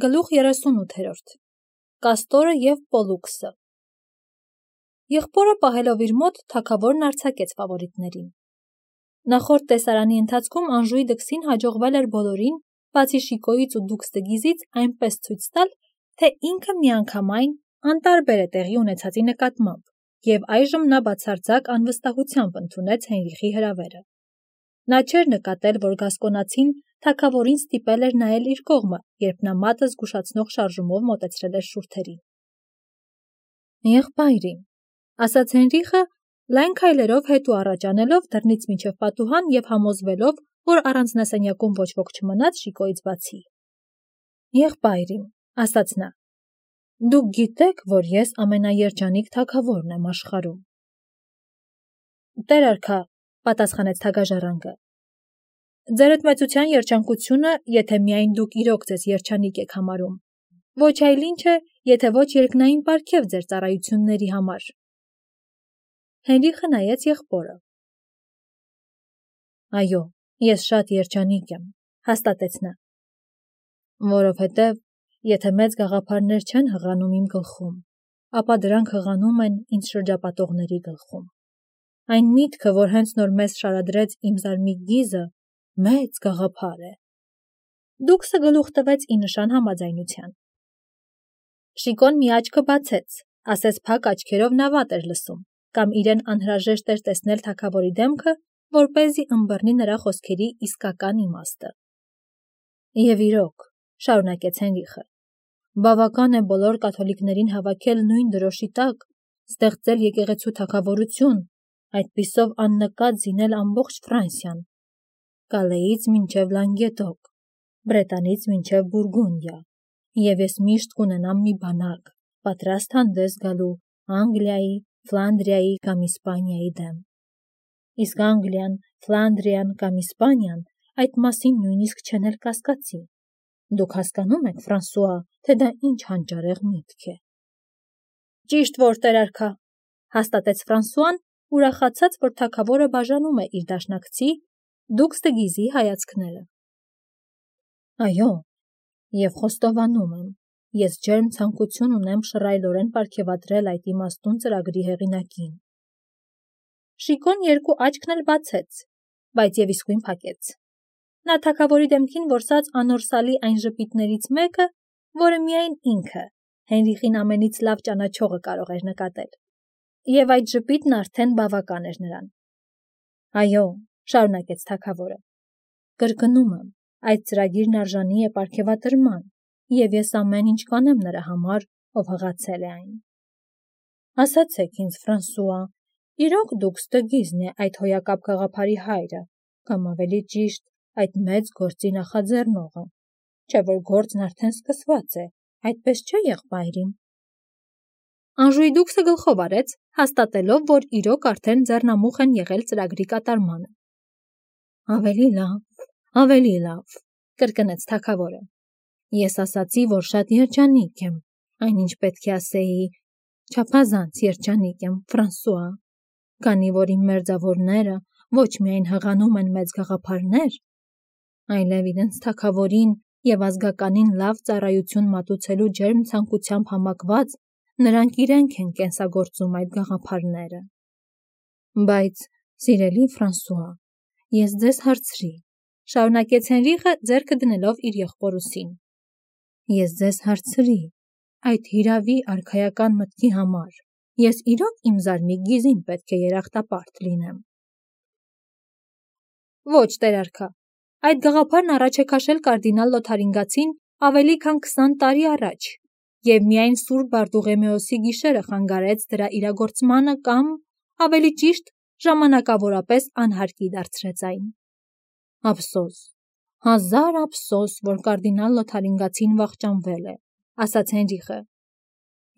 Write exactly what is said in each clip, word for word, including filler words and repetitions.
Գլուխ երեսունութերորդ Կաստորը և Պոլուքսը Եղբորը պահելով իր մոտ թագավորն արձակեց ֆավորիտներին։ Նախորդ տեսարանի ընթացքում Անժուի դքսին հաջողվել էր բոլորին, բացի Շիկոյից ու Դուքստգիզից, այնպես ցույց տալ, թե ինքը միանգամայն անտարբեր է տեղի ունեցածի նկատմամբ, և այժմ նա բացարձակ անվստահությամբ ընդունեց Հենրիխի հրավերը։ Նա չէր նկատել, որ գասկոնացին թագավորին ստիպել էր նայել իր կողմը, երբ նա մատը զգուշացնող շարժումով մոտեցրել էր շուրթերին։ «Եղբայրին», ասաց Հենրիխը, լայն քայլերով հետ ու առաջ անելով դռնից մինչև պատուհան և համոզվելով, որ առանձնասենյակում ոչ ոք չմնաց Շիկոյից բացի։ «Եղբայրին», ասաց նա, դուք գիտեք, որ ես ամենաերջանիկ թագավորն եմ աշխարհում։ «Տեր արքա», պատասխանեց թագաժառանգը, ձերդ մեծության երջանկությունը, եթե միայն դուք իրոք ձեզ երջանիկ եք համարում, ոչ այլ ինչ է, եթե ոչ երկնային պարգև ձեր ծառայությունների համար։ Հենրիխը նայեց եղբորը։ Այո, ես շատ երջանիկ եմ, հաստատեց նա, որովհետև եթե մեծ գաղափարներ չեն հղանում իմ գլխում, ապա դրանք հղանում են ինձ շրջապատողների գլխում։ Այն միտքը, որ հենց նոր մեզ շարադրեց իմ զարմիկ գիզը, մեծ գաղափար է։ Դուքսը գլուխ տվեց ի նշան համաձայնության։ Շիկոն մի աչքը բացեց, ասես փակ աչքերով նա վատ էր լսում, կամ իրեն անհրաժեշտ էր տեսնել թագավորի դեմքը, որպեսզի ըմբռնի նրա խոսքերի իսկական իմաստը։ Եվ իրոք, շարունակեց Հենրիխը, բավական է բոլոր կաթոլիկներին հավաքել նույն դրոշի տակ, ստեղծել եկեղեցու թագավորություն, այդպիսով աննկատ զինել ամբողջ Ֆրանսիան, Կալեից մինչև Լանգեդոկ, Բրետանից մինչև Բուրգունդիա, և ես միշտ կունենամ մի բանակ, պատրաստ հանդես գալու Անգլիայի, Ֆլանդրիայի կամ Իսպանիայի դեմ։ Իսկ Անգլիան, Ֆլանդրիան կամ Իսպանիան այդ մասին նույնիսկ չեն էլ կասկածի։ Դուք հասկանում եք, Ֆրանսուଆ, թե դա ինչ հանճարեղ միտք է։ Ճիշտ որ, Տեր արքա, հաստատեց Ֆրանսուան, ուրախացած, որ թագավորը բաժանում է իր դաշնակցի Դուքստգիզի հայացքները։ Այո, և խոստովանում եմ, ես ջերմ ցանկություն ունեմ շռայլորեն պարգևատրել այդ իմաստուն ծրագրի հեղինակին։ Շիկոն երկու աչքն էլ բացեց, բայց և իսկույն փակեց։ Նա թագավորի դեմքին որսաց անորսալի այն ժպիտներից մեկը, որը միայն ինքը, Հենրիխին ամենից լավ ճանաչողը կարող էր նկատել, և այդ ժպիտն արդեն բավական էր նրան։ Այո, շարունակեց թագավորը, կրկնում եմ, այդ ծրագիրն արժանի է պարգևատրման, և ես ամեն ինչ կանեմ նրա համար, ով հղացել է այն։ Ասացեք ինձ, Ֆրանսուଆ, իրոք Դուքստգիզն է այդ հոյակապ գաղափարի հայրը, կամ ավելի ճիշտ, այդ մեծ գործի նախաձեռնողը, չէ՞ որ գործն արդեն սկսված է, այդպես չէ՞ եղբայրին։ Անժուի դուքսը գլխով արեց, հաստատելով, որ իրոք արդեն ձեռնամուխ են եղել ծրագրի կատարմանը։ Ավելի լավ, ավելի լավ, կրկնեց թագավորը։ Ես ասացի, որ շատ երջանիկ եմ, այնինչ պետք է ասեի, չափազանց երջանիկ եմ, Ֆրանսուଆ, քանի որ իմ մերձավորները ոչ միայն հղանում են մեծ գաղափարներ, այլև իրենց թագավորին և ազգականին լավ ծառայություն մատուցելու ջերմ ցանկությամբ համակված, նրանք իրենք են կենսագործում այդ գաղափարները։ Բայց, սիրելի Ֆրանսուଆ, ես ձեզ հարցրի, շարունակեց Հենրիխը, ձեռքը դնելով իր եղբոր ուսին։ Ես ձեզ հարցրի, այդ հիրավի արքայական մտքի համար, ես իրոք իմ զարմիկ գիզին պետք է երախտապարտ լինեմ։ Ոչ, Տեր արքա, այդ գաղափարն առաջ է քաշել կարդինալ Լոթարինգացին ավելի քան քսան տարի առաջ, և միայն Սուրբ Բարտուղեմեոսի գիշերը խանգարեց դրա իրագործմանը կամ, ավելի ճիշտ, ժամանակավորապես անհարկի դարձրեց այն։ Ափսոս, հազար ափսոս, որ կարդինալ Լոթարինգացին վախճանվել է, ասաց Հենրիխը։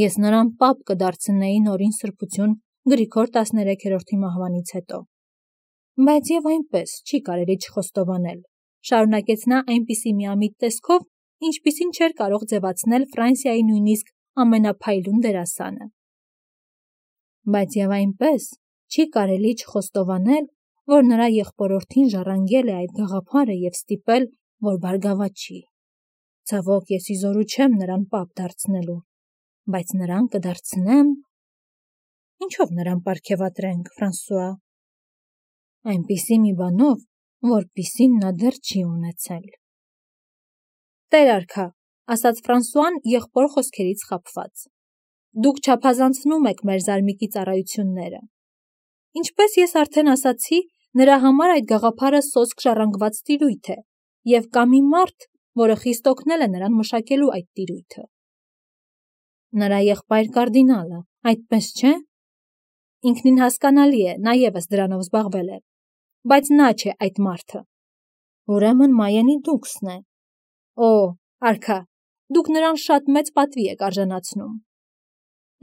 Ես նրան պապ կդարձնեի նորին սրբություն Գրիգոր տասներեքերորդի մահվանից հետո։ Բայց և այնպես չի կարելի չխոստովանել, շարունակեց նա այնպիսի միամիտ տեսքով, ինչպիսին չէր կարող ձևացնել Ֆրանսիայի նույնիսկ ամենափայլուն դերասանը։ Բայց և այնպես չի կարելի չխոստովանել, որ նրա եղբորորդին ժառանգել է այդ գաղափարը և ստիպել, որ բարգավաճի։ Ցավոք ես իզորու չեմ նրան պապ դարձնելու, բայց նրան կդարձնեմ։ Ինչով նրան պարգևատրենք, Ֆրանսուଆ։ Այնպիսի մի բանով, որպիսին նա դեռ չի ունեցել։ Տեր արքա, ասաց Ֆրանսուան եղբոր խոսքերից խաբված։ Դուք չափազանցնում եք մեր զարմիկի ծառայությունները։ Ինչպես ես արդեն ասացի, նրա համար այդ գաղափարը սոսկ ժառանգված տիրույթ է, և կա մի մարդ, որը խիստ օգնել է նրան մշակելու այդ տիրույթը։ Նրա եղբայր կարդինալը, այդպես չէ՞։ Ինքնին հասկանալի է, նա ևս դրանով զբաղվել է, բայց նա չէ այդ մարդը։ Ուրեմն Մայենի դուքսն է։ Օ, արքա, դուք նրան շատ մեծ պատվի եք արժանացնում։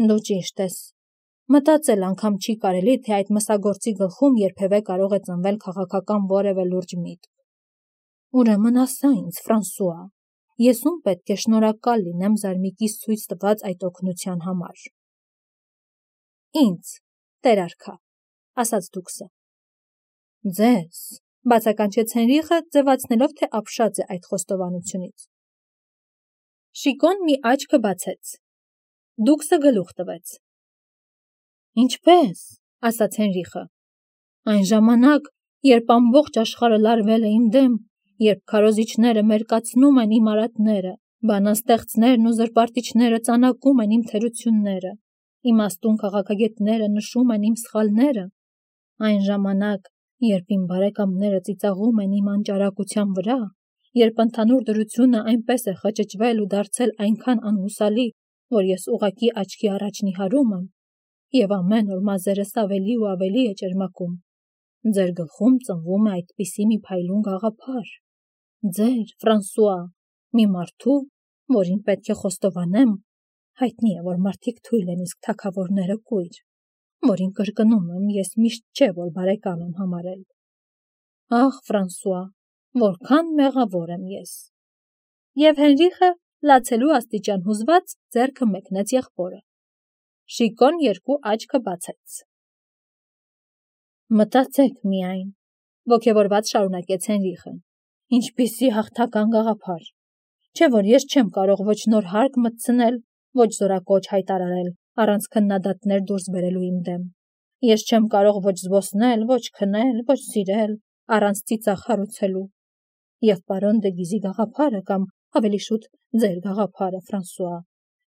Դու ճիշտ ես։ Մտածել անգամ չի կարելի, թե այդ մսագործի գլխում երբևէ կարող է ծնվել քաղաքական որևէ լուրջ միտք։ Ուրեմն ասա ինձ, Ֆրանսուଆ, ես ում պետք է շնորհակալ լինեմ զարմիկիս ցույց տված այդ օգնության համար։ Ինձ, տեր արքա, ասաց դուքսը։ Ձեզ, բացականչեց Հենրիխը, ձևացնելով, թե ապշած է այդ խոստովանությունից։ Շիկոն մի աչքը բացեց։ Դուքսը գլուխ տվեց։ Ինչպես, ասաց Հենրիխը։ Այն ժամանակ, երբ ամբողջ աշխարհը լարվել է իմ դեմ, երբ քարոզիչները մերկացնում են իմ արատները, բանաստեղծներն ու զրպարտիչները ծանակում են իմ թերությունները, իմաստուն քաղաքագետները նշում են իմ սխալները, այն ժամանակ, երբ իմ բարեկամները ծիծաղում են իմ անճարակության վրա, երբ ընդհանուր դրությունը այնպես է խճճվել ու դարձել այնքան անհուսալի, որ ես ուղղակի աչքի առաջ նիհարում եմ, և ամեն օր մազերս ավելի ու ավելի է ճերմակում, ձեր գլխում ծնվում է այդպիսի մի փայլուն գաղափար։ Ձեր, Ֆրանսուଆ, մի մարդու, որին պետք է խոստովանեմ, հայտնի է, որ մարդիկ թույլ են, իսկ թագավորները կույր, որին կրկնում եմ, ես միշտ չէ, որ բարեկամ եմ համարել։ Ախ, Ֆրանսուଆ, որքան մեղավոր եմ ես։ Եվ Հենրիխը, լացելու աստիճան հուզված, ձեռքը մեկնեց եղբորը։ Շիկոն երկու աչքը բացեց։ Մտածեք միայն, ոգևորված շարունակեց Հենրիխը, ինչպիսի հաղթական գաղափար, չէ որ ես չեմ կարող ոչ նոր հարկ մտցնել, ոչ զորակոչ հայտարարել, առանց քննադատներ դուրս բերելու իմ դեմ։ Ես չեմ կարող ոչ զբոսնել, ոչ քնել, ոչ սիրել, առանց ծիծաղ հարուցելու։ Եվ պարոն դե Գիզի գաղափարը կամ ավելի շուտ ձեր գաղափարը, Ֆրանսուଆ,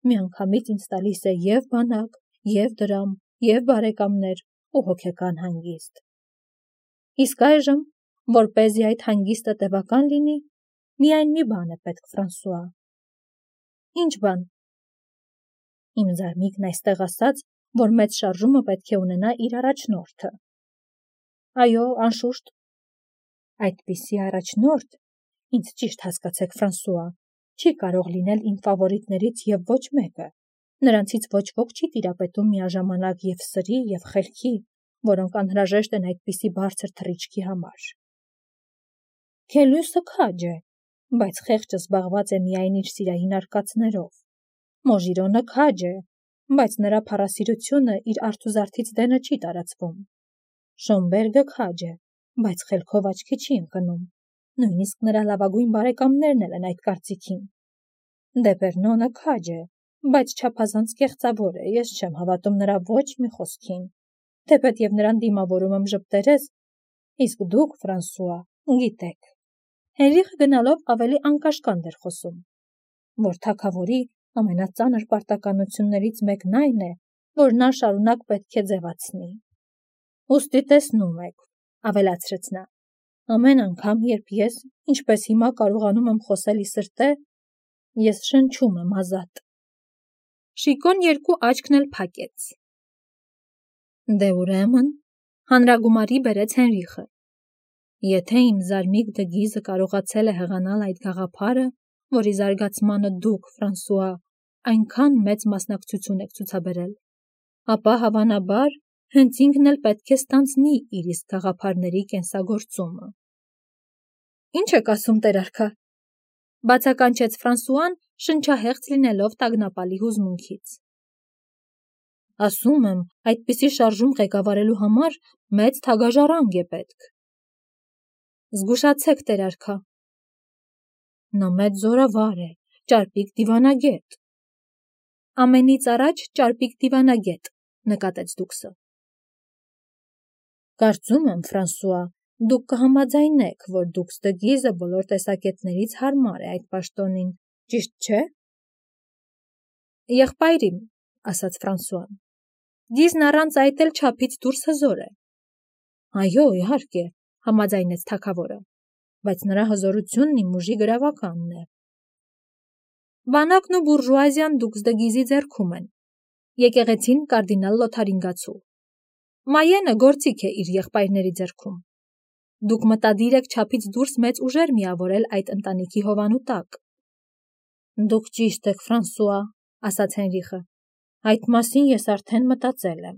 միանգամից ինձ տալիս է և բանակ, և դրամ, և բարեկամներ ու հոգեկան հանգիստ։ Իսկ այժմ, որպեսզի այդ հանգիստը տևական լինի, միայն մի բան է պետք, Ֆրանսուଆ։ Ինչ բան։ Իմ զարմիկն այստեղ ասաց, որ մեծ շարժումը պետք է ունենա իր առաջնորդը։ Այո, անշուշտ։ Այդպիսի առաջնորդ, ինձ ճիշտ հասկացեք, Ֆրանսուଆ, չի կարող լինել իմ ֆավորիտներից և ոչ մեկը։ Նրանցից ոչ ոք չի տիրապետում միաժամանակ և սրի, և խելքի, որոնք անհրաժեշտ են այդպիսի բարձր թռիչքի համար։ Քելյուսը քաջ է, բայց խեղճը զբաղված է միայն իր սիրային արկածներով։ Մոժիրոնը քաջ է, բայց նրա փառասիրությունը իր արթուզարդից դենը չի տարածվում։ Շոմբերգը քաջ է, բայց խելքով աչքի չի ընկնում։ Նույնիսկ նրա լավագույն բարեկամներն էլ են այդ կարծիքին։ Դեպերնոնը քաջ է, բայց չափազանց կեղծավոր է, ես չեմ հավատում նրա ոչ մի խոսքին, թեպետև նրան դիմավորում եմ ժպտերես, իսկ դուք, Ֆրանսուଆ, գիտեք։ Հենրիխը գնալով ավելի անկաշկանդ էր խոսում, որ թագավորի ամենածանր պարտականություններից մեկն այն է, որ նա շարունակ պետք է ձևացնի։ Ուստի տեսնում եք, ավելացրեց նա, ամեն անգամ, երբ ես, ինչպես հիմա կարողանում եմ խոսել ի սրտե, ես շնչում եմ ազատ։ Շիկոն երկու աչքն էլ փակեց։ Դե ուրեմն, հանրագումարի բերեց Հենրիխը։ Եթե իմ զարմիկ դե Գիզը կարողացել է հեղանալ այդ գաղափարը, որի զարգացմանը դուք, Ֆրանսուଆ, այնքան մեծ մասնակցություն եք ցուցաբերել, ապա հավանաբար հենց ինքն էլ պետք է ստանձնի իր իսկ գաղափարների կենսագործումը։ Ինչ եք ասում, տեր արքա, բացականչեց Ֆրանսուան, շնչահեղձ լինելով տագնապալի հուզմունքից։ Ասում եմ, այդպիսի շարժում ղեկավարելու համար մեծ թագաժառանգ է պետք։ Զգուշացեք, տեր արքա։ Նա մեծ զորավար է, ճարպիկ դիվանագետ։ Ամենից առաջ ճարպիկ դիվանագետ, նկատեց Դուքսը։ Կարծում եմ, Ֆրանսուଆ, դուք կհամաձայնեք, որ Դուքս դը Գիզը բոլոր տեսակետներից հարմար է այդ պաշտոնին, ճիշտ չէ։ Եղբայրիմ, ասաց Ֆրանսուան, Գիզն առանց այդ էլ չափից դուրս հզոր է։ Այո, իհարկե, համաձայնեց թագավորը, բայց նրա հզորությունն իմ ուժի գրավականն է։ Բանակն ու բուրժուազիան Դուքս դը Գիզի ձեռքում են, եկեղեցին կարդինալ Լոթարինգացու։ Մայենը գործիք է իր եղբայրների ձեռքում։ Դուք մտադիր եք չափից դուրս մեծ ուժեր միավորել այդ ընտանիքի հովանու տակ։ Դուք ճիշտ եք, Ֆրանսուଆ, ասաց Հենրիխը, այդ մասին ես արդեն մտածել եմ։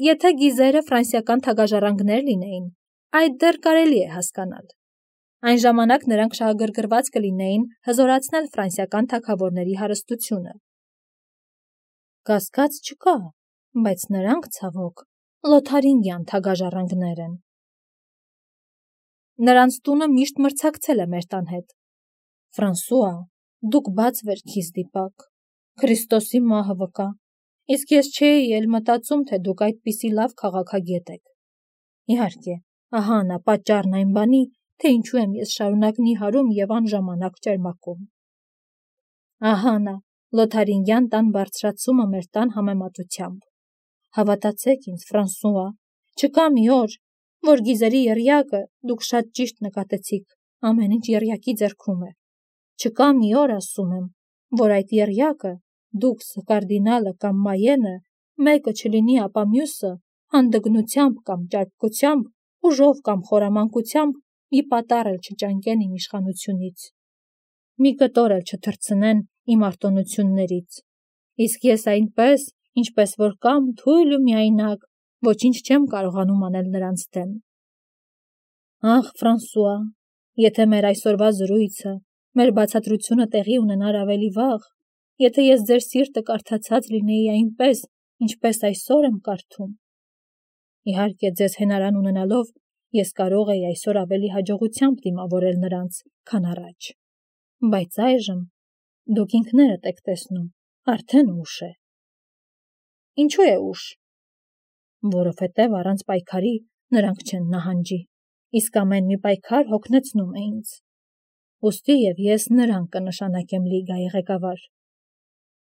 Եթե Գիզերը ֆրանսիական թագաժառանգներ լինեին, այդ դեռ կարելի է հասկանալ։ Այն ժամանակ նրանք շահագրգռված կլինեին հզորացնել ֆրանսիական թագավորների հարստությունը։ Կասկած չկա, բայց նրանք, ցավոք, Լոթարինգյան թագաժառանգներ են։ Նրանց տունը միշտ մրցակցել է մեր տան հետ։ Ֆրանսուଆ, դուք բաց վերքից դիպակ, Քրիստոսի մահը վկա, իսկ ես չէի էլ մտածում, թե դուք այդպիսի լավ քաղաքագետ եք։ Իհարկե, ահա նա պատճառն այն բանի, թե ինչու եմ ես շարունակ նիհարում եւ անժամանակ ճերմակում։ Ահա նա, Լոթարինգյան տան բարձրացումը մեր տան համեմատությամբ։ Հավատացեք ինձ, Ֆրանսուଆ, չկա մի օր, որ Գիզերի եռյակը, դուք շատ ճիշտ նկատեցիք, ամեն ինչ եռյակի ձեռքում է։ Չկա մի օր, ասում եմ, որ այդ եռյակը, դուքս, կարդինալը կամ Մայենը, մեկը չլինի, ապա մյուսը, հանդգնությամբ կամ ճարպկությամբ, ուժով կամ խորամանկությամբ մի պատառ էլ չճանկեն իմ իշխանությունից։ Մի կտոր էլ չթռցնեն իմ արտոնություններից։ Իսկ ես այնպես, ինչպես որ կամ թույլ ու միայնակ, ոչինչ չեմ կարողանում անել նրանց դեմ։ Ախ, Ֆրանսուଆ, եթե մեր այսօրվա զրույցը, մեր բացատրությունը տեղի ունենար ավելի վաղ, եթե ես ձեր սիրտը կարդացած լինեի այնպես, ինչպես այսօր եմ կարդում։ Իհարկե, ձեզ հենարան ունենալով, ես կարող էի այսօր ավելի հաջողությամբ դիմավորել նրանց, քան առաջ։ Բայց այժմ դուք ինքներդ եք տեսնում, արդեն ուշ է։ Ինչու է ուշ։ Որովհետև առանց պայքարի նրանք չեն նահանջի, իսկ ամեն մի պայքար հոգնեցնում է ինձ։ Ուստի եւ ես նրան կնշանակեմ լիգայի ղեկավար։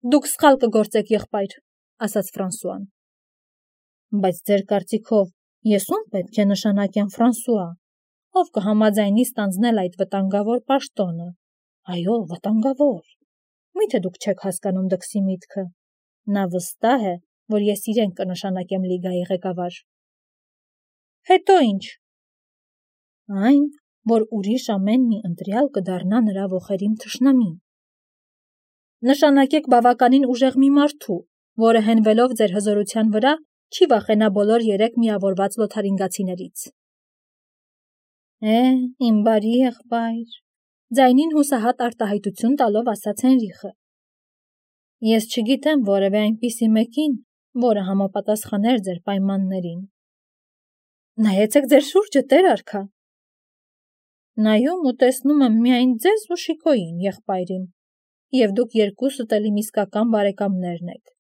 Դուք սխալ կգործեք, եղբայր, ասաց Ֆրանսուան։ Բայց ձեր կարծիքով ես ում պետք է նշանակեմ, Ֆրանսուଆ, ով կհամաձայնի ստանձնել այդ վտանգավոր պաշտոնը։ Այո, վտանգավոր։ Միթե դուք չեք հասկանում Դքսի միտքը։ Նա վստահ է, որ ես իրեն կնշանակեմ լիգայի ղեկավար։ Հետո ինչ։ Այն, որ ուրիշ ամեն մի ընտրյալ կդառնա նրա ոխերիմ թշնամին։ Նշանակեք բավականին ուժեղ մի մարդու, որը հենվելով ձեր հզորության վրա, չի վախենա բոլոր երեք միավորված լոթարինգացիներից։ Է, իմ բարի եղբայր, ձայնին հուսահատ արտահայտություն տալով ասաց Հենրիխը։ Ես չգիտեմ որևէ այնպիսի մեկին, որը համապատասխաներ ձեր պայմաններին։ Նայեցեք ձեր շուրջը, տեր արքա։ Նայում ու տեսնում եմ միայն ձեզ ու Շիկոյին, եղբայրին, եւ դուք երկուսդ էլ իմ իսկական բարեկամներն եք։